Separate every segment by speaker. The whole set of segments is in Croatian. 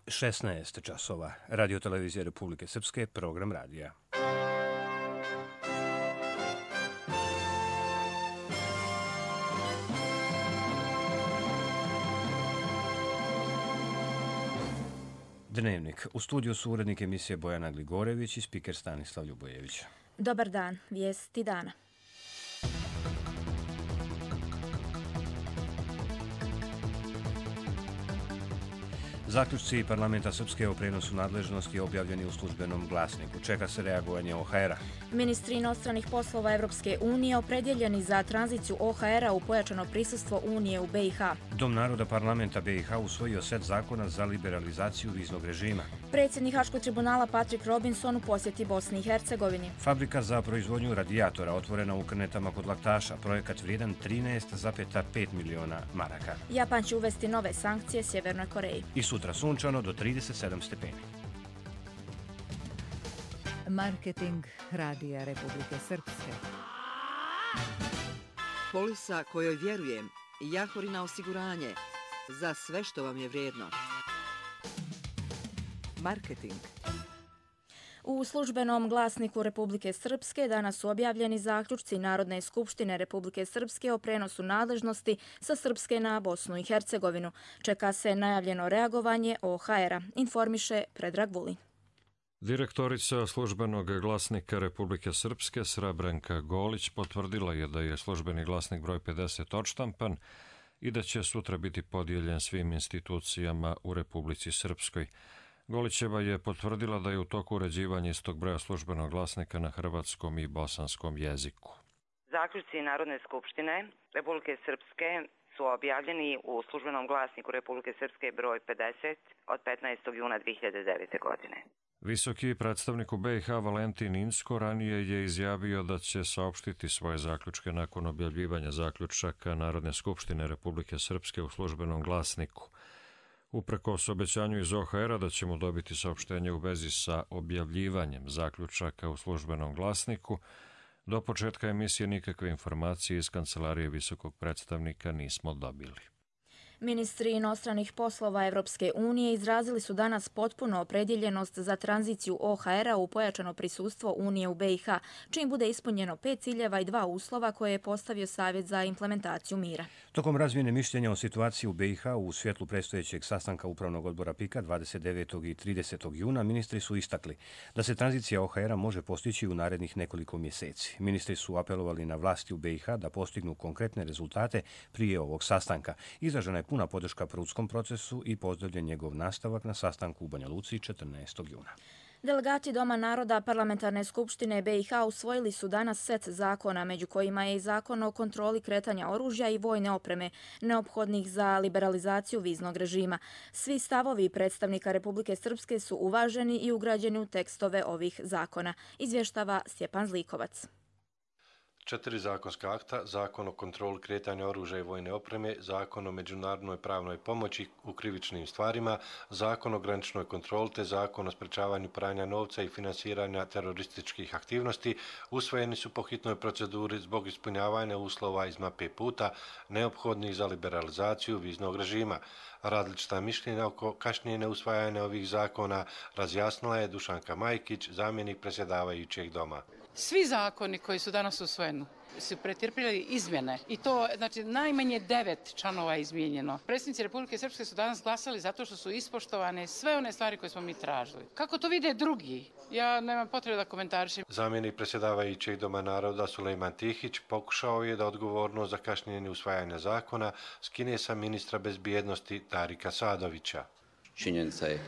Speaker 1: 16 časova. Radio televizije Republike Srpske, program radija. Dnevnik. U studiju su urednik emisije Bojana Gligorević i spiker Stanislav Ljubojević.
Speaker 2: Dobar dan, vijesti dana.
Speaker 1: Zaključci parlamenta Srpske o prenosu nadležnosti objavljeni u službenom glasniku. Čeka se reagovanje OHR-a.
Speaker 2: Ministri inostranih poslova Evropske unije opredjeljeni za tranziciju OHR-a u pojačano prisustvo Unije u BiH.
Speaker 1: Dom naroda parlamenta BiH usvojio set zakona za liberalizaciju viznog režima.
Speaker 2: Predsjednik Haškog tribunala Patrick Robinson u posjeti Bosni i Hercegovini.
Speaker 1: Fabrika za proizvodnju radijatora otvorena u Krnetama kod Laktaša. Projekat vrijedan 13,5 miliona maraka.
Speaker 2: Japan će uvesti nove sankcije Sjevernoj Koreji.
Speaker 1: I sutra sunčano do 37 stepeni.
Speaker 3: Marketing Radija Republike Srpske.
Speaker 4: Polisa kojoj vjerujem, Jahorina osiguranje, za sve što vam je vrijedno.
Speaker 3: Marketing.
Speaker 2: U službenom glasniku Republike Srpske danas su objavljeni zaključci Narodne skupštine Republike Srpske o prenosu nadležnosti sa Srpske na Bosnu i Hercegovinu. Čeka se najavljeno reagovanje OHR-a, informiše Predrag Vulin.
Speaker 5: Direktorica službenog glasnika Republike Srpske Srebrenka Golić potvrdila je da je službeni glasnik broj 50 odštampan i da će sutra biti podijeljen svim institucijama u Republici Srpskoj. Golićeva je potvrdila da je u toku uređivanja istog broja službenog glasnika na hrvatskom i bosanskom jeziku.
Speaker 6: Zaključci Narodne skupštine Republike Srpske su objavljeni u službenom glasniku Republike Srpske broj 50 od 15. juna 2009. godine.
Speaker 5: Visoki predstavnik u BiH Valentin Inzko ranije je izjavio da će saopštiti svoje zaključke nakon objavljivanja zaključaka Narodne skupštine Republike Srpske u službenom glasniku. Uprkos obećanju iz OHR-a da ćemo dobiti saopštenje u vezi sa objavljivanjem zaključaka u službenom glasniku, do početka emisije nikakve informacije iz kancelarije visokog predstavnika nismo dobili.
Speaker 2: Ministri inostranih poslova Evropske unije izrazili su danas potpuno opredjeljenost za tranziciju OHR-a u pojačano prisustvo Unije u BiH, čim bude ispunjeno 5 ciljeva i 2 uslova koje je postavio Savjet za implementaciju mira.
Speaker 1: Tokom razmjene mišljenja o situaciji u BiH u svjetlu predstojećeg sastanka Upravnog odbora PIK-a 29. i 30. juna ministri su istakli da se tranzicija OHR-a može postići u narednih nekoliko mjeseci. Ministri su apelovali na vlasti u BiH da postignu konkretne rezultate prije ovog sastanka. Izražena je puna podrška prutskom procesu i pozdravljen njegov nastavak na sastanku u Banja Luci 14. juna.
Speaker 2: Delegati Doma naroda Parlamentarne skupštine BiH usvojili su danas set zakona, među kojima je i zakon o kontroli kretanja oružja i vojne opreme, neophodnih za liberalizaciju viznog režima. Svi stavovi predstavnika Republike Srpske su uvaženi i ugrađeni u tekstove ovih zakona, izvještava Stjepan Zlikovac.
Speaker 7: 4 zakonska akta, zakon o kontroli kretanja oružja i vojne opreme, zakon o međunarodnoj pravnoj pomoći u krivičnim stvarima, zakon o graničnoj kontroli te zakon o sprečavanju pranja novca i finansiranja terorističkih aktivnosti usvojeni su po hitnoj proceduri zbog ispunjavanja uslova iz mape puta neophodnih za liberalizaciju viznog režima. Različita mišljenja oko kašnjenja usvajanja ovih zakona razjasnila je Dušanka Majkić, zamjenik predsjedavajućeg doma.
Speaker 8: Svi zakoni koji su danas usvojeni su pretrpjeli izmjene i to znači najmanje 9 članova je izmijenjeno. Predsjednici Republike Srpske su danas glasali zato što su ispoštovane sve one stvari koje smo mi tražili. Kako to vide drugi? Ja nemam potrebe da komentarišem.
Speaker 7: Zamjenik predsjedavajućeg Doma naroda Sulejman Tihić pokušao je da odgovornost za kašnjenje usvajanja zakona skine sa ministra bezbjednosti Tarika Sadovića.
Speaker 9: Činjenica je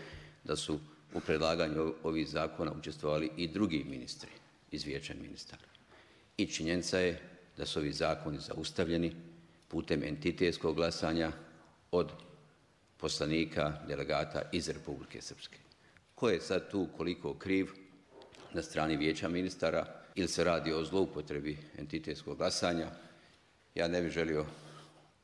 Speaker 9: da su u predlaganju ovih zakona učestvovali i drugi ministri iz Vijeća ministara. I činjenica je da su ovi zakoni zaustavljeni putem entitetskog glasanja od poslanika, delegata iz Republike Srpske. Ko je sad tu koliko kriv na strani Vijeća ministara ili se radi o zloupotrebi entitetskog glasanja, ja ne bih želio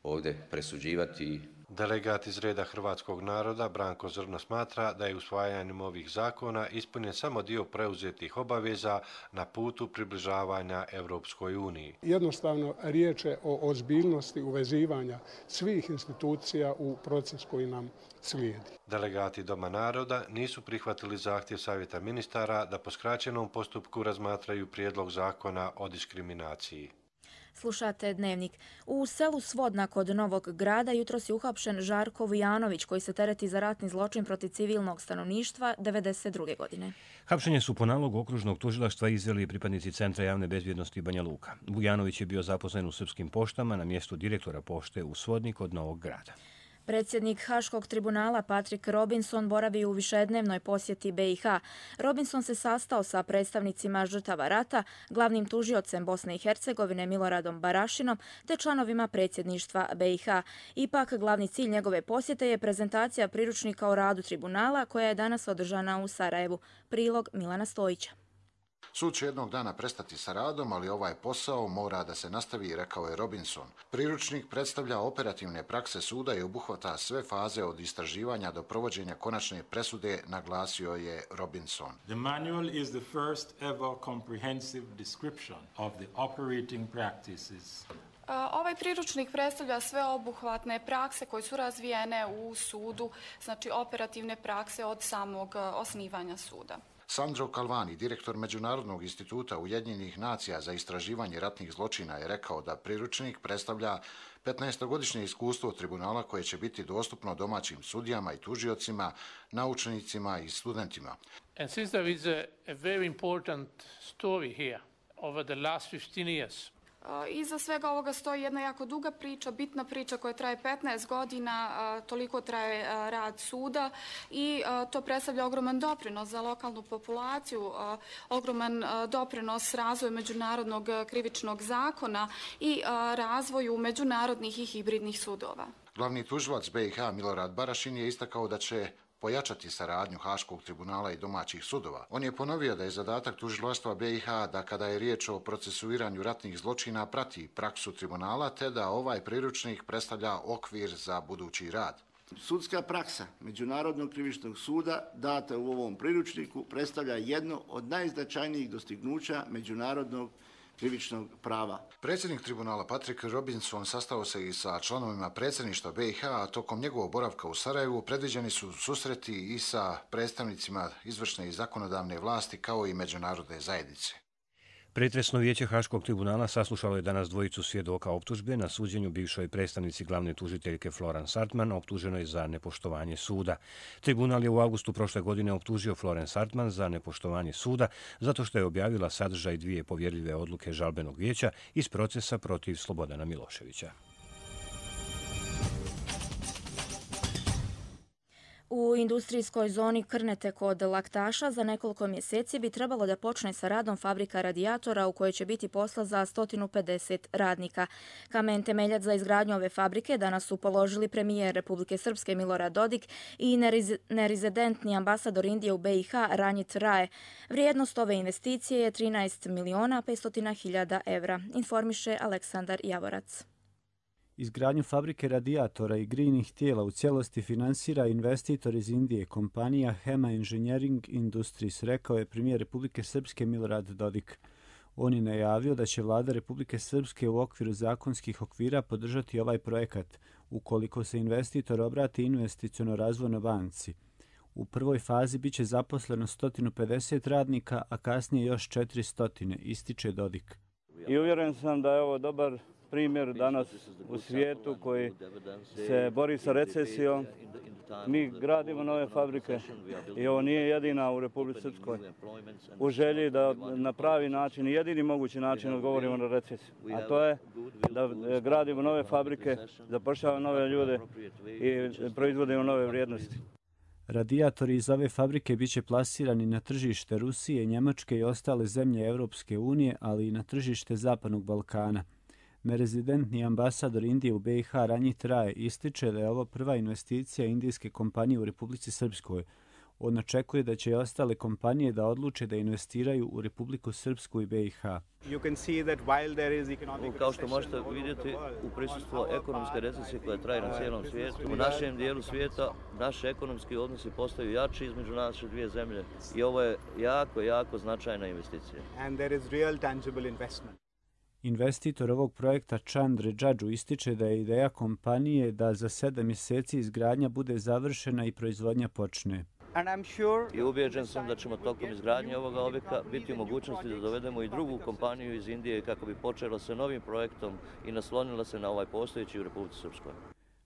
Speaker 9: ovdje presuđivati.
Speaker 7: Delegat iz reda hrvatskog naroda Branko Zrno smatra da je usvajanjem ovih zakona ispunjen samo dio preuzetih obaveza na putu približavanja Europskoj uniji.
Speaker 10: Jednostavno riječ je o ozbiljnosti uvezivanja svih institucija u proces koji nam slijedi.
Speaker 7: Delegati Doma naroda nisu prihvatili zahtjev Savjeta ministara da po skraćenom postupku razmatraju prijedlog zakona o diskriminaciji.
Speaker 2: Slušate Dnevnik. U selu Svodna kod Novog Grada jutros je uhapšen Žarko Vujanović koji se tereti za ratni zločin protiv civilnog stanovništva 1992. godine.
Speaker 1: Hapšenje su po nalogu okružnog tužilaštva izveli pripadnici Centra javne bezbjednosti Banja Luka. Vujanović je bio zaposlen u Srpskim poštama na mjestu direktora pošte u Svodni kod Novog Grada.
Speaker 2: Predsjednik Haškog tribunala Patrick Robinson boravi u višednevnoj posjeti BiH. Robinson se sastao sa predstavnicima žrtava rata, glavnim tužiocem Bosne i Hercegovine Miloradom Barašinom te članovima predsjedništva BiH. Ipak, glavni cilj njegove posjete je prezentacija priručnika o radu tribunala koja je danas održana u Sarajevu. Prilog Milana Stojića.
Speaker 11: Sud će jednog dana prestati sa radom, ali ovaj posao mora da se nastavi, rekao je Robinson. Priručnik predstavlja operativne prakse suda i obuhvata sve faze od istraživanja do provođenja konačne presude, naglasio je Robinson.
Speaker 12: The manual is the first ever comprehensive description of the operating practices.
Speaker 13: Ovaj priručnik predstavlja sveobuhvatne prakse koje su razvijene u sudu, znači operativne prakse od samog osnivanja suda.
Speaker 11: Sandro Calvani, direktor Međunarodnog instituta Ujedinjenih nacija za istraživanje ratnih zločina, je rekao da priručnik predstavlja 15-godišnje iskustvo tribunala koje će biti dostupno domaćim sudijama i tužiocima, naučnicima i studentima.
Speaker 14: And since there is a very important story here over the last 15 years.
Speaker 13: Iza svega ovoga stoji jedna jako duga priča, bitna priča koja traje 15 godina, toliko traje rad suda i to predstavlja ogroman doprinos za lokalnu populaciju, ogroman doprinos razvoju međunarodnog krivičnog zakona i razvoju međunarodnih i hibridnih sudova.
Speaker 11: Glavni tužilac BiH Milorad Barašin je istakao da će pojačati saradnju Haškog tribunala i domaćih sudova. On je ponovio da je zadatak tužilaštva BiH da kada je riječ o procesuiranju ratnih zločina prati praksu tribunala te da ovaj priručnik predstavlja okvir za budući rad.
Speaker 15: Sudska praksa Međunarodnog krivičnog suda data u ovom priručniku predstavlja jedno od najznačajnijih dostignuća međunarodnog krivičnog prava.
Speaker 11: Predsjednik tribunala Patrick Robinson sastao se i sa članovima predsjedništva BiH, a tokom njegovog boravka u Sarajevu predviđeni su susreti i sa predstavnicima izvršne i zakonodavne vlasti kao i međunarodne zajednice.
Speaker 1: Pretresno vijeće Haškog tribunala saslušalo je danas dvojicu svjedoka optužbe na suđenju bivšoj predstavnici glavne tužiteljke Florence Hartman, optuženoj za nepoštovanje suda. Tribunal je u avgustu prošle godine optužio Florence Hartman za nepoštovanje suda zato što je objavila sadržaj dvije povjerljive odluke žalbenog vijeća iz procesa protiv Slobodana Miloševića.
Speaker 2: U industrijskoj zoni Krnete kod Laktaša za nekoliko mjeseci bi trebalo da počne sa radom fabrika radijatora u kojoj će biti posla za 150 radnika. Kamen temeljac za izgradnju ove fabrike danas su položili premijer Republike Srpske Milorad Dodik i nerezidentni ambasador Indije u BiH Ranjit Rae. Vrijednost ove investicije je 13.500.000 evra, informiše Aleksandar Javorac.
Speaker 16: Izgradnju fabrike radijatora i grijnih tijela u cijelosti finansira investitor iz Indije, kompanija Hema Engineering Industries, rekao je premijer Republike Srpske Milorad Dodik. On je najavio da će vlada Republike Srpske u okviru zakonskih okvira podržati ovaj projekat, ukoliko se investitor obrati investiciono-razvojnoj banci. U prvoj fazi biće zaposleno 150 radnika, a kasnije još 400, ističe Dodik.
Speaker 17: I uvjeren sam da je ovo dobar primjer danas u svijetu koji se bori sa recesijom. Mi gradimo nove fabrike i ovo nije jedina u Republici Srpskoj. U želji da na pravi način, jedini mogući način odgovorimo na recesiju. A to je da gradimo nove fabrike, zapošljavamo nove ljude i proizvodimo nove vrijednosti.
Speaker 16: Radijatori iz ove fabrike biće plasirani na tržište Rusije, Njemačke i ostale zemlje Europske unije, ali i na tržište Zapadnog Balkana. Nerezidentni ambasador Indije u BiH Ranjit Rae ističe da je ovo prva investicija indijske kompanije u Republici Srpskoj. On očekuje da će i ostale kompanije da odluče da investiraju u Republiku Srpsku i BiH.
Speaker 18: Kao što možete vidjeti, u prisustvu ekonomske recesije koja traje na cijelom svijetu, u našem dijelu svijeta naši ekonomski odnosi postaju jači između naše dvije zemlje i ovo je jako značajna investicija.
Speaker 16: Investitor ovog projekta Chandra Džadžu ističe da je ideja kompanije da za 7 mjeseci izgradnja bude završena i proizvodnja počne.
Speaker 18: I ubijeđen sam da ćemo tokom izgradnje ovoga objekta biti u mogućnosti da dovedemo i drugu kompaniju iz Indije kako bi počela sa novim projektom i naslonila se na ovaj postojeći u Republici Srpskoj.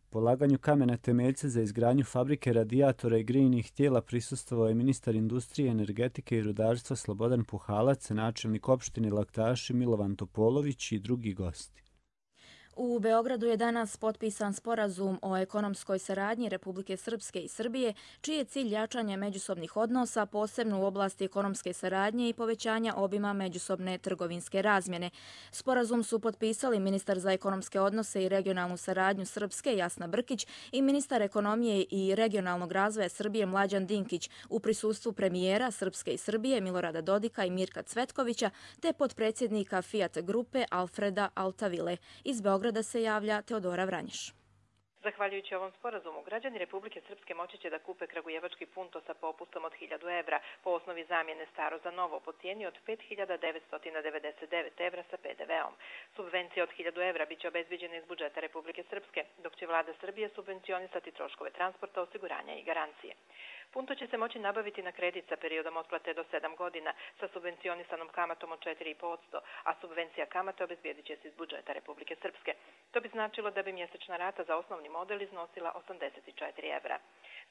Speaker 16: Polaganju kamena temeljca za izgradnju fabrike radijatora i grijnih tijela prisustvovao je ministar industrije, energetike i rudarstva Slobodan Puhalac, načelnik opštine Laktaši Milovan Topolović i drugi gosti.
Speaker 2: U Beogradu je danas potpisan sporazum o ekonomskoj saradnji Republike Srpske i Srbije, čiji je cilj jačanje međusobnih odnosa, posebno u oblasti ekonomske saradnje i povećanja obima međusobne trgovinske razmjene. Sporazum su potpisali ministar za ekonomske odnose i regionalnu saradnju Srpske Jasna Brkić i ministar ekonomije i regionalnog razvoja Srbije Mlađan Dinkić u prisustvu premijera Srpske i Srbije Milorada Dodika i Mirka Cvetkovića te potpredsjednika Fiat grupe Alfreda Altavile. Iz Beograda se javlja Teodora Vranješ.
Speaker 19: Zahvaljujući ovom sporazumu, građani Republike Srpske moći će da kupe kragujevački punto sa popustom od 1000 evra po osnovi zamjene staro za novo po cijeni od 5.999 evra sa PDV-om. Subvencija od 1000 evra biće obezbiđena iz budžeta Republike Srpske, dok će vlada Srbije subvencionisati troškove transporta, osiguranja i garancije. Punto će se moći nabaviti na kredit sa periodom otplate do 7 godina sa subvencionisanom kamatom od 4,5%, a subvencija kamate obezbijedit će se iz budžeta Republike Srpske. To bi značilo da bi mjesečna rata za osnovni model iznosila 84 evra.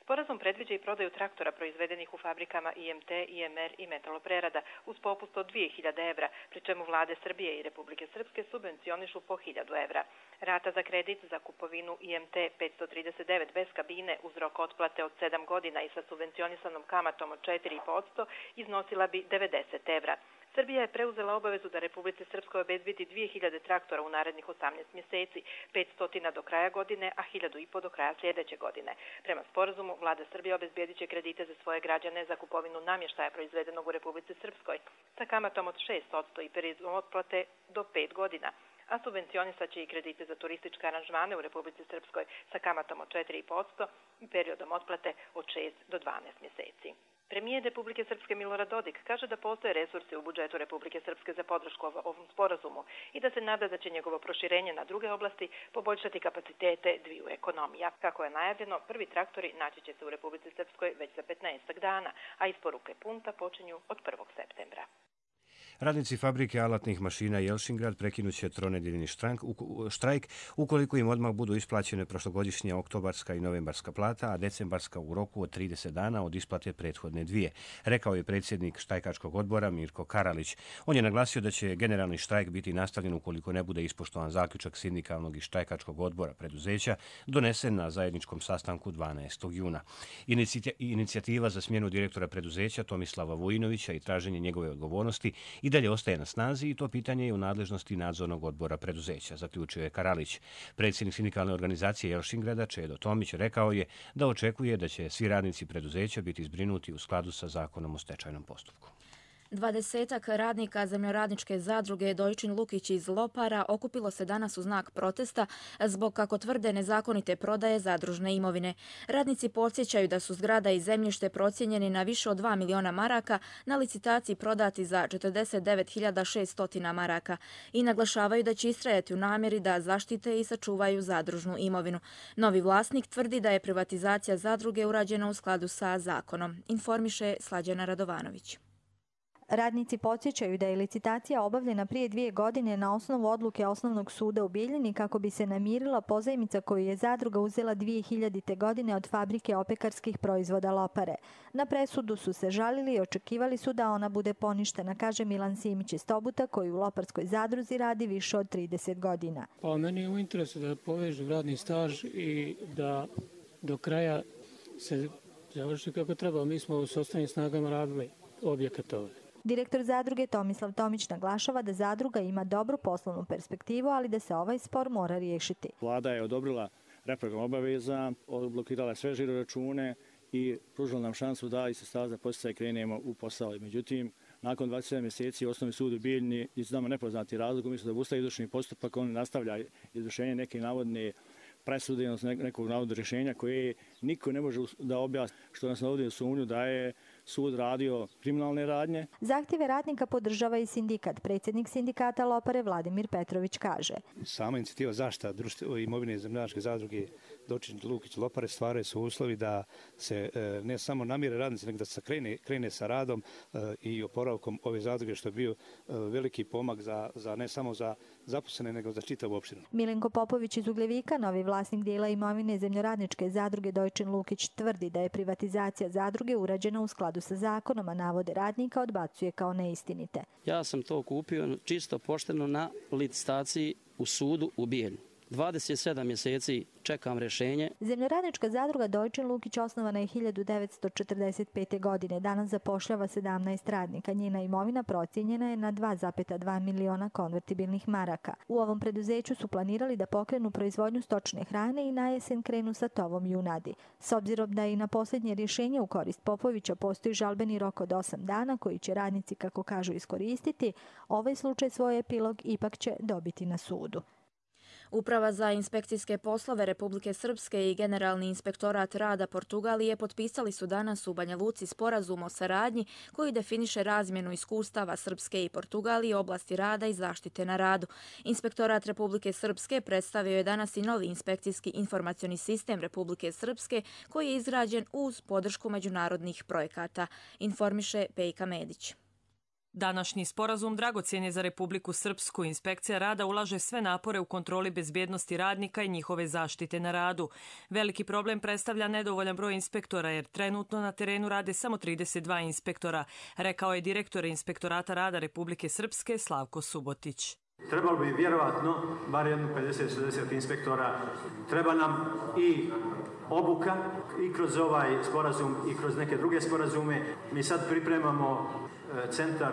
Speaker 19: Sporazum predviđa i prodaju traktora proizvedenih u fabrikama IMT, IMR i metaloprerada uz popust od 2000 evra, pri čemu vlade Srbije i Republike Srpske subvencionišu po 1000 evra. Rata za kredit za kupovinu IMT 539 bez kabine uz rok otplate od 7 godina i sa subvencionisanom kamatom od 4,5% iznosila bi 90 evra. Srbija je preuzela obavezu da Republici Srpskoj obezbedi 2000 traktora u narednih 18 mjeseci, 500 do kraja godine, a 1500 do kraja sljedeće godine. Prema sporazumu, vlada Srbije obezbedit će kredite za svoje građane za kupovinu namještaja proizvedenog u Republici Srpskoj sa kamatom od 6% i periodom otplate do 5 godina, a subvencionisat će i kredite za turističke aranžmane u Republici Srpskoj sa kamatom od 4,5% i periodom otplate od 6 do 12 mjeseci. Premijer Republike Srpske Milorad Dodik kaže da postoje resursi u budžetu Republike Srpske za podršku ovom sporazumu i da se nada da će njegovo proširenje na druge oblasti poboljšati kapacitete dviju ekonomija. Kako je najavljeno, prvi traktori naći će se u Republici Srpskoj već za 15 dana, a isporuke punta počinju od 1. septembra.
Speaker 1: Radnici fabrike alatnih mašina Jelšingrad prekinut će tronedeljni štrajk ukoliko im odmah budu isplaćene prošlogodišnja oktobarska i novembarska plata, a decembarska u roku od 30 dana od isplate prethodne dvije, rekao je predsjednik štrajkačkog odbora Mirko Karalić. On je naglasio da će generalni štrajk biti nastavljen ukoliko ne bude ispoštovan zaključak sindikalnog i štrajkačkog odbora preduzeća donesen na zajedničkom sastanku 12. juna. Inicijativa za smjenu direktora preduzeća Tomislava Vujinovića i traženje njegove odgovornosti i dalje ostaje na snazi i to pitanje je u nadležnosti nadzornog odbora preduzeća, zaključio je Karalić. Predsjednik sindikalne organizacije Jelšingrada Čedo Tomić rekao je da očekuje da će svi radnici preduzeća biti zbrinuti u skladu sa zakonom o stečajnom postupku.
Speaker 2: 20 radnika zemljoradničke zadruge Dojčin Lukić iz Lopara okupilo se danas u znak protesta zbog, kako tvrde, nezakonite prodaje zadružne imovine. Radnici podsjećaju da su zgrada i zemljište procijenjeni na više od 2 miliona maraka, na licitaciji prodati za 49.600 maraka i naglašavaju da će istrajati u namjeri da zaštite i sačuvaju zadružnu imovinu. Novi vlasnik tvrdi da je privatizacija zadruge urađena u skladu sa zakonom, informiše Slađana Radovanović.
Speaker 20: Radnici podsjećaju da je licitacija obavljena prije 2 godine na osnovu odluke Osnovnog suda u Bijeljini kako bi se namirila pozajmica koju je zadruga uzela 2000. godine od fabrike opekarskih proizvoda Lopare. Na presudu su se žalili i očekivali su da ona bude poništena, kaže Milan Simić iz Tobuta, koji u Loparskoj zadruzi radi više od 30 godina.
Speaker 21: Pa meni je u interesu da povežu radni staž i da do kraja se završi kako treba. Mi smo u sopstvenim snagama radili objekat ovaj.
Speaker 20: Direktor zadruge Tomislav Tomić naglašava da zadruga ima dobru poslovnu perspektivu, ali da se ovaj spor mora riješiti.
Speaker 22: Vlada je odobrila reprogram obaveza, odblokirala sve žiroračune
Speaker 4: i pružilo nam šansu da iz sredstava za podsticaj krenemo u posao. Međutim, nakon 27 mjeseci Osnovni sud u Bijeljini iz nama nepoznati razlog, umjesto da obustavi izvršni postupak, on nastavlja izvršenje neke navodne presude, odnosno nekog navodnog rješenja koje niko ne može da objasni, što nas navodi u sumnju da je sud radio kriminalne radnje.
Speaker 20: Zahtjeve radnika podržava i sindikat. Predsjednik sindikata Lopare Vladimir Petrović kaže:
Speaker 22: Sama inicijativa zaštita imovine zemljoradničke zadruge Dočin Lukić Lopare stvaraju su uslovi da se ne samo namire radnici, nego da se krene sa radom i oporavkom ove zadruge, što je bio veliki pomak za ne samo za zaposlene, nego za čitavu opštinu.
Speaker 20: Milenko Popović iz Ugljevika, novi vlasnik dijela imovine zemljoradničke zadruge Dojčin Lukić, tvrdi da je privatizacija zadruge urađena u skladu sa zakonom, a navode radnika odbacuje kao neistinite.
Speaker 23: Ja sam to kupio čisto pošteno na licitaciji u sudu u Bijeljini. 27 mjeseci čekam rješenje.
Speaker 20: Zemljoradnička zadruga Dojčin Lukić osnovana je 1945. godine. Danas zapošljava 17 radnika. Njena imovina procijenjena je na 2,2 miliona konvertibilnih maraka. U ovom preduzeću su planirali da pokrenu proizvodnju stočne hrane i na jesen krenu sa tovom junadi. S obzirom da i na posljednje rješenje u korist Popovića postoji žalbeni rok od 8 dana koji će radnici, kako kažu, iskoristiti, ovaj slučaj svoj epilog ipak će dobiti na sudu.
Speaker 2: Uprava za inspekcijske poslove Republike Srpske i Generalni inspektorat rada Portugalije potpisali su danas u Banja Luci sporazum o saradnji koji definiše razmjenu iskustava Srpske i Portugalije u oblasti rada i zaštite na radu. Inspektorat Republike Srpske predstavio je danas i novi inspekcijski informacioni sistem Republike Srpske koji je izgrađen uz podršku međunarodnih projekata, informiše Pejka Medić.
Speaker 24: Današnji sporazum dragocjen je za Republiku Srpsku. Inspekcija rada ulaže sve napore u kontroli bezbjednosti radnika i njihove zaštite na radu. Veliki problem predstavlja nedovoljan broj inspektora jer trenutno na terenu rade samo 32 inspektora, rekao je direktor Inspektorata rada Republike Srpske Slavko Subotić.
Speaker 25: Trebalo bi vjerovatno bar jedno 50-60 inspektora. Treba nam i obuka i kroz ovaj sporazum i kroz neke druge sporazume. Mi sad pripremamo centar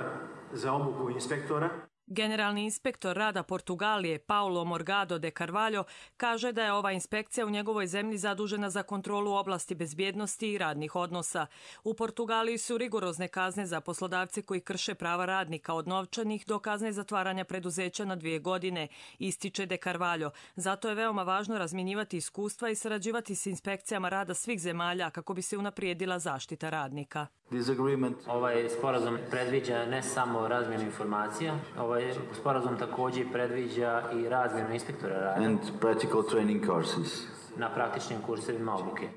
Speaker 25: za obuku inspektora.
Speaker 24: Generalni inspektor rada Portugalije Paulo Morgado de Carvalho kaže da je ova inspekcija u njegovoj zemlji zadužena za kontrolu oblasti bezbjednosti i radnih odnosa. U Portugaliji su rigorozne kazne za poslodavce koji krše prava radnika od novčanih do kazne zatvaranja preduzeća na 2 godine, ističe de Carvalho. Zato je veoma važno razmjenjivati iskustva i sarađivati s inspekcijama rada svih zemalja kako bi se unaprijedila zaštita radnika.
Speaker 26: Ovaj sporazum predviđa ne samo razmjenu informacija, ovaj sporazum također predviđa i razmjenu inspektora rada na praktičnim kursevima obuke.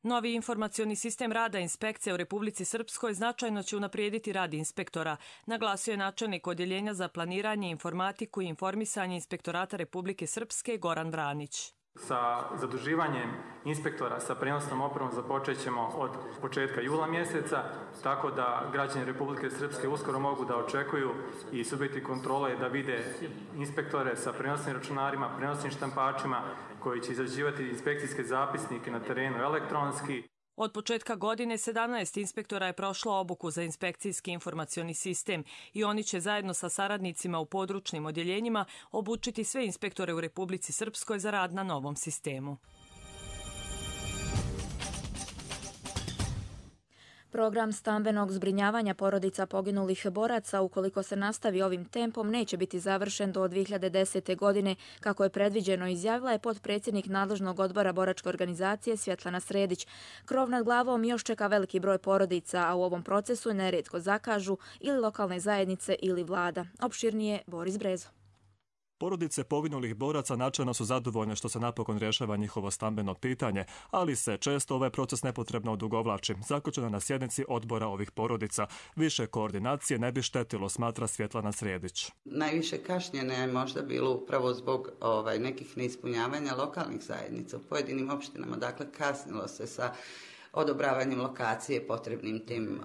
Speaker 24: Novi informacioni sistem rada inspekcije u Republici Srpskoj značajno će unaprijediti rad inspektora, naglasio je načelnik Odjeljenja za planiranje, informatiku i informisanje Inspektorata Republike Srpske Goran Vranić.
Speaker 27: Sa zaduživanjem inspektora sa prenosnom opremom započet ćemo od početka jula mjeseca, tako da građani Republike Srpske uskoro mogu da očekuju i subjekti kontrole da vide inspektore sa prenosnim računarima, prenosnim štampačima koji će izrađivati inspekcijske zapisnike na terenu elektronski.
Speaker 24: Od početka godine 17 inspektora je prošlo obuku za inspekcijski informacioni sistem i oni će zajedno sa saradnicima u područnim odjeljenjima obučiti sve inspektore u Republici Srpskoj za rad na novom sistemu.
Speaker 2: Program stambenog zbrinjavanja porodica poginulih boraca, ukoliko se nastavi ovim tempom, neće biti završen do 2010. godine, kako je predviđeno, izjavila je potpredsjednik nadležnog odbora boračke organizacije Svjetlana Sredić. Krov nad glavom još čeka veliki broj porodica, a u ovom procesu nerijetko zakažu ili lokalne zajednice ili vlada. Opširnije Boris Brezo.
Speaker 28: Porodice poginulih boraca načelno su zadovoljne što se napokon rješava njihovo stambeno pitanje, ali se često ovaj proces nepotrebno odugovlači. Zaključeno na sjednici odbora ovih porodica. Više koordinacije ne bi štetilo, smatra Svjetlana Sredić.
Speaker 29: Najviše kašnjenja je možda bilo upravo zbog nekih neispunjavanja lokalnih zajednica u pojedinim opštinama. Dakle, kasnilo se sa odobravanjem lokacije potrebnim tim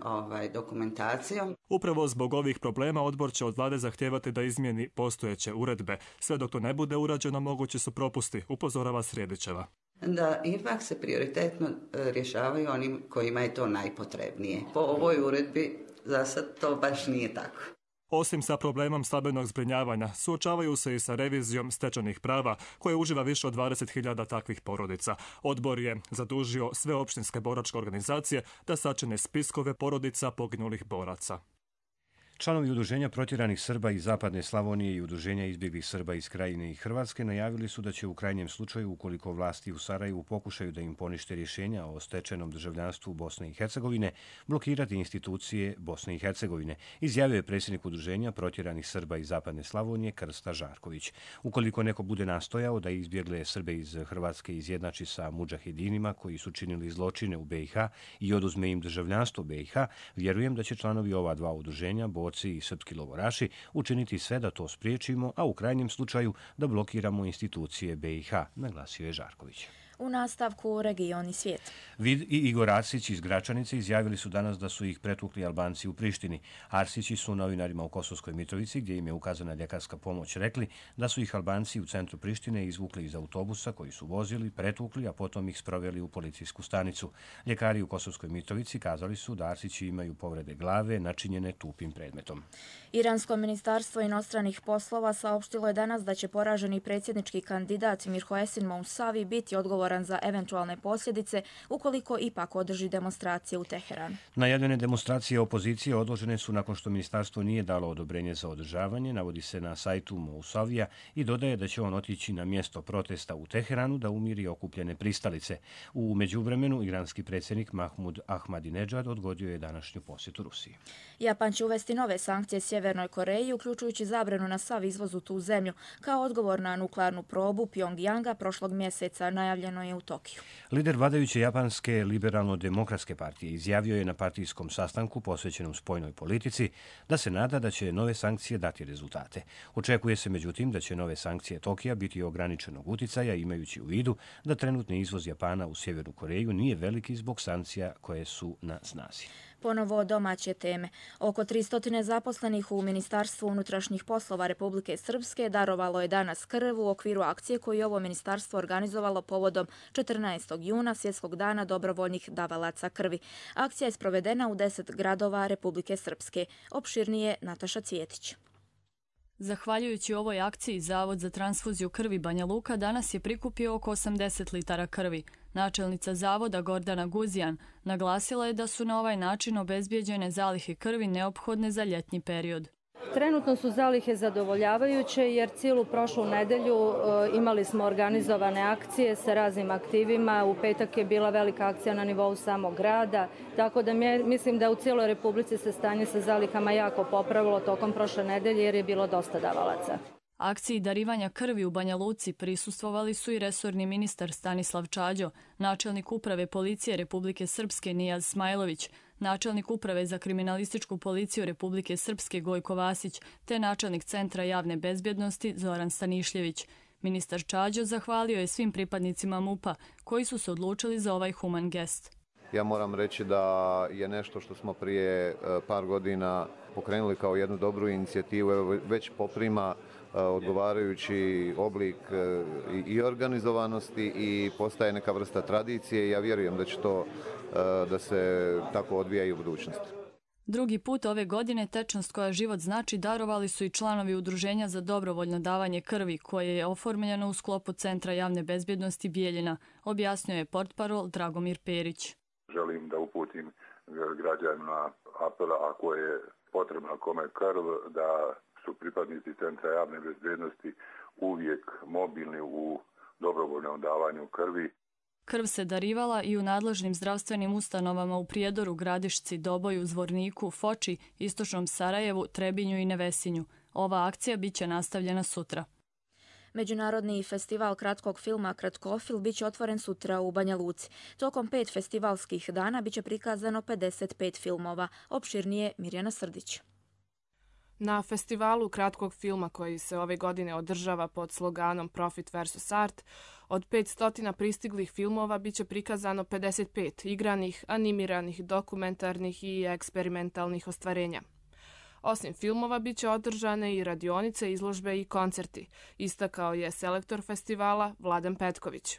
Speaker 29: dokumentacijom.
Speaker 28: Upravo zbog ovih problema odbor će od vlade zahtijevati da izmijeni postojeće uredbe. Sve dok to ne bude urađeno, mogući su propusti, upozorava Sredićeva.
Speaker 29: Da ipak se prioritetno rješavaju onim kojima je to najpotrebnije. Po ovoj uredbi za sad to baš nije tako.
Speaker 28: Osim sa problemom stambenog zbrinjavanja, suočavaju se i sa revizijom stečenih prava, koje uživa više od 20.000 takvih porodica. Odbor je zadužio sve opštinske boračke organizacije da sačine spiskove porodica poginulih boraca.
Speaker 1: Članovi Udruženja protjeranih Srba iz Zapadne Slavonije i Udruženja izbjeglih Srba iz Krajine i Hrvatske najavili su da će u krajnjem slučaju, ukoliko vlasti u Sarajevu pokušaju da im ponište rješenja o stečenom državljanstvu Bosne i Hercegovine, blokirati institucije Bosne i Hercegovine, izjavio je predsjednik Udruženja protjeranih Srba iz Zapadne Slavonije Krsta Žarković. Ukoliko neko bude nastojao da izbjegle Srbe iz Hrvatske izjednači sa mudžahedinima koji su činili zločine u BiH i oduzme im državljanstvo BiH, vjerujem da će članovi ova dva udruženja, borci i srpski logoraši, učiniti sve da to spriječimo, a u krajnjem slučaju da blokiramo institucije BiH, naglasio je Žarković.
Speaker 2: U nastavku region i svijet.
Speaker 1: Vid i Igor Arsić iz Gračanice izjavili su danas da su ih pretukli Albanci u Prištini. Arsići su novinarima u Kosovskoj Mitrovici, gdje im je ukazana ljekarska pomoć, rekli da su ih Albanci u centru Prištine izvukli iz autobusa koji su vozili, pretukli, a potom ih sproveli u policijsku stanicu. Ljekari u Kosovskoj Mitrovici kazali su da Arsići imaju povrede glave načinjene tupim predmetom.
Speaker 2: Iransko ministarstvo inostranih poslova saopštilo je danas da će poraženi predsjednički kandidat Mirhoesin Mousavi biti odgovoran za eventualne posljedice ukoliko ipak održi demonstracije u Teheranu.
Speaker 1: Najavljene demonstracije opozicije odložene su nakon što ministarstvo nije dalo odobrenje za održavanje, navodi se na sajtu Mousavija i dodaje da će on otići na mjesto protesta u Teheranu da umiri okupljene pristalice. U međuvremenu iranski predsjednik Mahmud Ahmadinejad odgodio je današnju posjetu Rusiji.
Speaker 2: Japan će uvesti nove sankcije Sjevernoj Koreji, uključujući zabranu na sav izvoz u tu zemlju. Kao odgovor na nuklearnu probu Pjongjanga prošlog mjeseca najavljeno je u Tokiju.
Speaker 1: Lider vladajuće japanske liberalno-demokratske partije izjavio je na partijskom sastanku posvećenom spoljnoj politici da se nada da će nove sankcije dati rezultate. Očekuje se međutim da će nove sankcije Tokija biti ograničenog uticaja, imajući u vidu da trenutni izvoz Japana u Sjevernu Koreju nije veliki zbog sankcija koje su na snazi.
Speaker 2: Ponovo domaće teme. Oko 300 zaposlenih u Ministarstvu unutrašnjih poslova Republike Srpske darovalo je danas krv u okviru akcije koju je ovo ministarstvo organizovalo povodom 14. juna, Svjetskog dana dobrovoljnih davalaca krvi. Akcija je sprovedena u 10 gradova Republike Srpske. Opširnije Nataša Cvjetić.
Speaker 3: Zahvaljujući ovoj akciji, Zavod za transfuziju krvi Banja Luka danas je prikupio oko 80 litara krvi. Načelnica zavoda Gordana Guzijan naglasila je da su na ovaj način obezbijeđene zalihe krvi neophodne za ljetni period.
Speaker 5: Trenutno su zalihe zadovoljavajuće jer cijelu prošlu nedelju imali smo organizovane akcije sa raznim aktivima. U petak je bila velika akcija na nivou samog grada, tako da mislim da u cijeloj Republici se stanje sa zalihama jako popravilo tokom prošle nedelje jer je bilo dosta davalaca.
Speaker 3: Akciji darivanja krvi u Banja Luci prisustvovali su i resorni ministar Stanislav Čađo, načelnik uprave policije Republike Srpske Nijaz Smajlović, načelnik uprave za kriminalističku policiju Republike Srpske Gojko Vasić te načelnik Centra javne bezbjednosti Zoran Stanišljević. Ministar Čađo zahvalio je svim pripadnicima MUP-a koji su se odlučili za ovaj human gest.
Speaker 6: Ja moram reći da je nešto što smo prije par godina pokrenuli kao jednu dobru inicijativu, već poprima odgovarajući oblik i organizovanosti i postaje neka vrsta tradicije i ja vjerujem da će to da se tako odvija i u budućnosti.
Speaker 3: Drugi put ove godine tečnost koja život znači darovali su i članovi Udruženja za dobrovoljno davanje krvi koje je oformljeno u sklopu Centra javne bezbjednosti Bijeljina, objasnio je portparol Dragomir Perić.
Speaker 7: Želim da uputim građanima apela ako je potrebna kome krv da su pripadnici Centra javne bezbjednosti uvijek mobilni u dobrovoljnom davanju krvi.
Speaker 3: Krv se darivala i u nadležnim zdravstvenim ustanovama u Prijedoru, Gradišci, Doboju, Zvorniku, Foči, Istočnom Sarajevu, Trebinju i Nevesinju. Ova akcija biće nastavljena sutra.
Speaker 2: Međunarodni festival kratkog filma Kratkofil biće otvoren sutra u Banja Luci. Tokom 5 festivalskih dana biće prikazano 55 filmova. Opširnije Mirjana Srdić.
Speaker 8: Na festivalu kratkog filma koji se ove godine održava pod sloganom Profit vs. Art, od 500 pristiglih filmova biće prikazano 55 igranih, animiranih, dokumentarnih i eksperimentalnih ostvarenja. Osim filmova biće održane i radionice, izložbe i koncerti, istakao je selektor festivala Vladan Petković.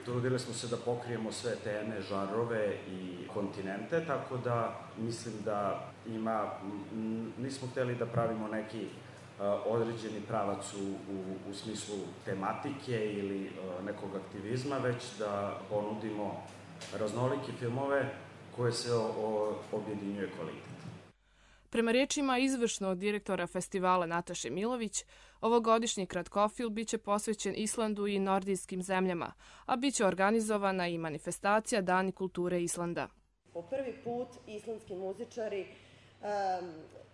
Speaker 9: Trudili smo se da pokrijemo sve teme, žanrove i kontinente, tako da mislim da nismo htjeli da pravimo neki određeni pravac u smislu tematike ili nekog aktivizma, već da ponudimo raznolike filmove koje se objedinjuje kvalitet.
Speaker 8: Prema riječima izvršnog direktora festivala Nataše Milović, ovogodišnji kratkofil biće posvećen Islandu i nordijskim zemljama, a biće organizovana i manifestacija Dani kulture Islanda.
Speaker 10: Po prvi put islandski muzičari,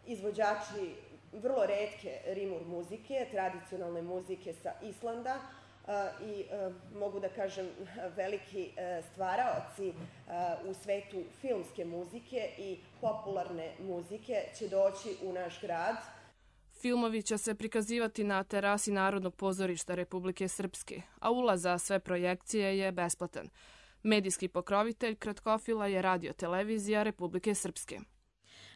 Speaker 10: izvođači vrlo retke rimur muzike, tradicionalne muzike sa Islanda i mogu da kažem veliki stvaraoci u svetu filmske muzike i popularne muzike će doći u naš grad.
Speaker 8: Filmovi će se prikazivati na terasi Narodnog pozorišta Republike Srpske, a ulaz za sve projekcije je besplatan. Medijski pokrovitelj kratkofila je Radio-televizija Republike Srpske.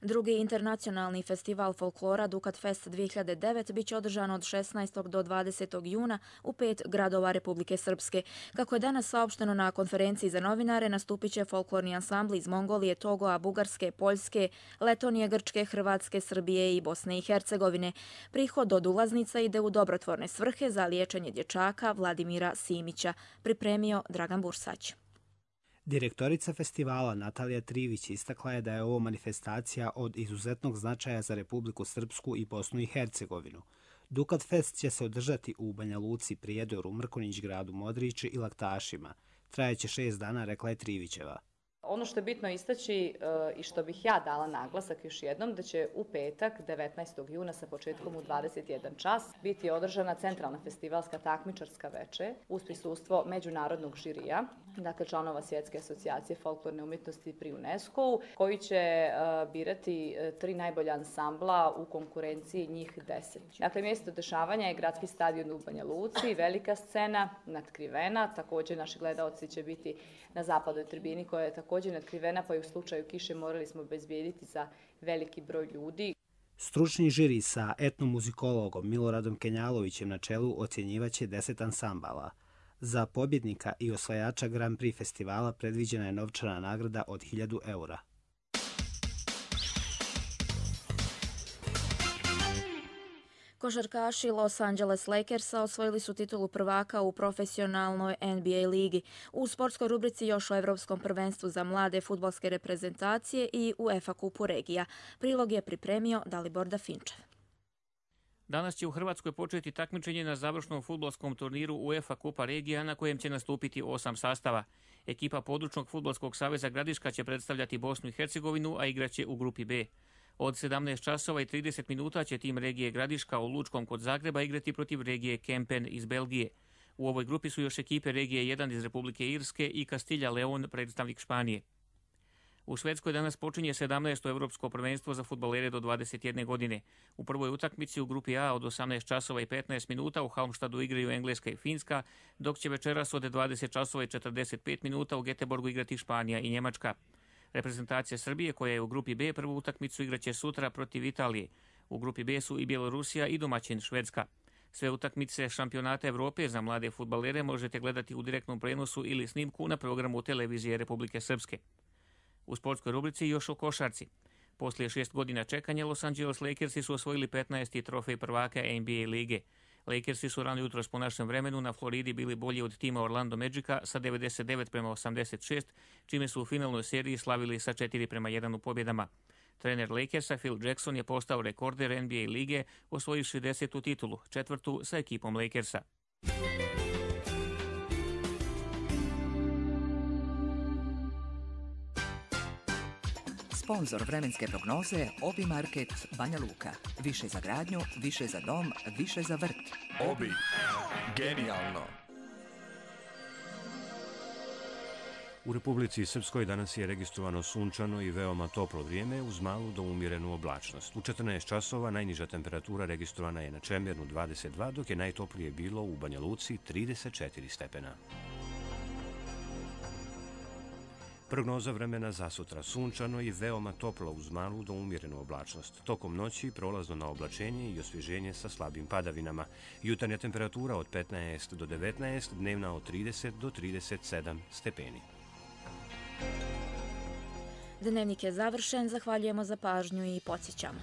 Speaker 2: Drugi internacionalni festival folklora Dukat Fest 2009 biće održan od 16. do 20. juna u 5 gradova Republike Srpske. Kako je danas saopšteno na konferenciji za novinare, nastupit će folklorni ansambli iz Mongolije, Togoa, Bugarske, Poljske, Letonije, Grčke, Hrvatske, Srbije i Bosne i Hercegovine. Prihod od ulaznica ide u dobrotvorne svrhe za liječenje dječaka Vladimira Simića, pripremio Dragan Bursać.
Speaker 11: Direktorica festivala Natalija Trivić istakla je da je ovo manifestacija od izuzetnog značaja za Republiku Srpsku i Bosnu i Hercegovinu. Dukat Fest će se održati u Banja Luci, Prijedoru, Mrkonjić gradu, Modrići i Laktašima. Trajeće 6 dana, rekla je Trivićeva.
Speaker 12: Ono što je bitno istaći i što bih ja dala naglasak još jednom, da će u petak 19. juna sa početkom u 21 čas biti održana centralna festivalska takmičarska veče uz prisustvo međunarodnog žirija, dakle članova Svjetske asocijacije folklorne umjetnosti pri UNESCO-u, koji će birati 3 najbolja ansambla u konkurenciji njih 10. Dakle, mjesto dešavanja je gradski stadion u Banja Luci, velika scena natkrivena, također naši gledaoci će biti na zapadnoj tribini koja je također natkrivena, pa i u slučaju kiše morali smo obezbijediti za veliki broj ljudi.
Speaker 11: Stručni žiri sa etnomuzikologom Miloradom Kenjalovićem na čelu ocjenjivaće 10 ansambala. Za pobjednika i osvajača Grand Prix festivala predviđena je novčana nagrada od 1000 eura.
Speaker 2: Košarkaši Los Angeles Lakersa osvojili su titulu prvaka u profesionalnoj NBA ligi. U sportskoj rubrici još o Evropskom prvenstvu za mlade fudbalske reprezentacije i UEFA kupu regija. Prilog je pripremio Dalibor Dafinčev.
Speaker 13: Danas će u Hrvatskoj početi takmičenje na završnom fudbalskom turniru UEFA Kupa regija na kojem će nastupiti 8 sastava. Ekipa područnog fudbalskog saveza Gradiška će predstavljati Bosnu i Hercegovinu, a igraće u grupi B. Od 17 časova i 30 minuta će tim regije Gradiška u Lučkom kod Zagreba igrati protiv regije Kempen iz Belgije. U ovoj grupi su još ekipe regije 1 iz Republike Irske i Kastilja Leon, predstavnik Španije. U Švedskoj danas počinje 17. Evropsko prvenstvo za fudbalere do 21 godine. U prvoj utakmici u grupi A od 18 časova i 15 minuta u Halmstadu igraju Engleska i Finska, dok će večeras od 20 časova i 45 minuta u Göteborgu igrati Španija i Njemačka. Reprezentacija Srbije, koja je u grupi B, prvu utakmicu igraće sutra protiv Italije. U grupi B su i Bjelorusija i domaćin Švedska. Sve utakmice šampionata Evrope za mlade fudbalere možete gledati u direktnom prenosu ili snimku na programu televizije Republike Srpske. U sportskoj rubrici još o košarci. Poslije 6 godina čekanja, Los Angeles Lakersi su osvojili 15. trofej prvaka NBA lige. Lakersi su rano jutros po našem vremenu na Floridi bili bolji od tima Orlando Magica sa 99-86, čime su u finalnoj seriji slavili sa 4-1 u pobjedama. Trener Lakersa Phil Jackson je postao rekorder NBA lige, osvojivši 10. titulu, 4. sa ekipom Lakersa.
Speaker 14: Sponzor vremenske prognoze Obi Market Banja Luka. Više za gradnju, više za dom, više za vrt.
Speaker 15: Obi. Genijalno.
Speaker 1: U Republici Srpskoj danas je registrovano sunčano i veoma toplo vrijeme uz malu do umjerenu oblačnost. U 14 časova najniža temperatura registrovana je na Čemernu 22, dok je najtoplije bilo u Banja Luci 34 stepena. Prognoza vremena za sutra: sunčano i veoma toplo uz malu do umjerenu oblačnost. Tokom noći prolazno na oblačenje i osvježenje sa slabim padavinama. Jutarnja temperatura od 15 do 19, dnevna od 30 do 37 stepeni.
Speaker 2: Dnevnik je završen, zahvaljujemo za pažnju i podsjećamo.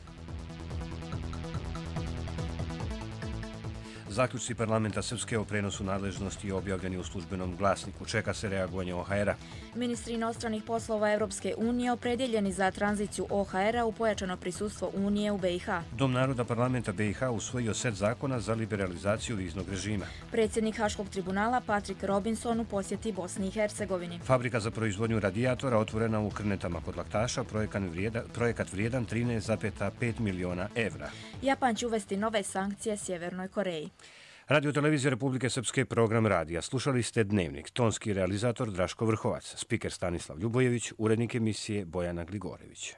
Speaker 1: Zaključci parlamenta Srpske o prenosu nadležnosti objavljeni u službenom glasniku. Čeka se reagovanje OHR-a.
Speaker 2: Ministri inostranih poslova Europske unije opredjeljeni za tranziciju OHR-a u pojačano prisustvo Unije u BiH.
Speaker 1: Dom naroda parlamenta BiH usvojio set zakona za liberalizaciju viznog režima.
Speaker 2: Predsjednik Haškog tribunala Patrick Robinson u posjeti Bosni i Hercegovini.
Speaker 1: Fabrika za proizvodnju radijatora otvorena u Krnetama kod Laktaša, projekat vrijedan 13,5 miliona evra.
Speaker 2: Japan će uvesti nove sankcije Sjevernoj Koreji.
Speaker 1: Radio televizija Republike Srpske, program radija. Slušali ste Dnevnik. Tonski realizator Draško Vrhovac, spiker Stanislav Ljubojević, urednik emisije Bojana Gligorević.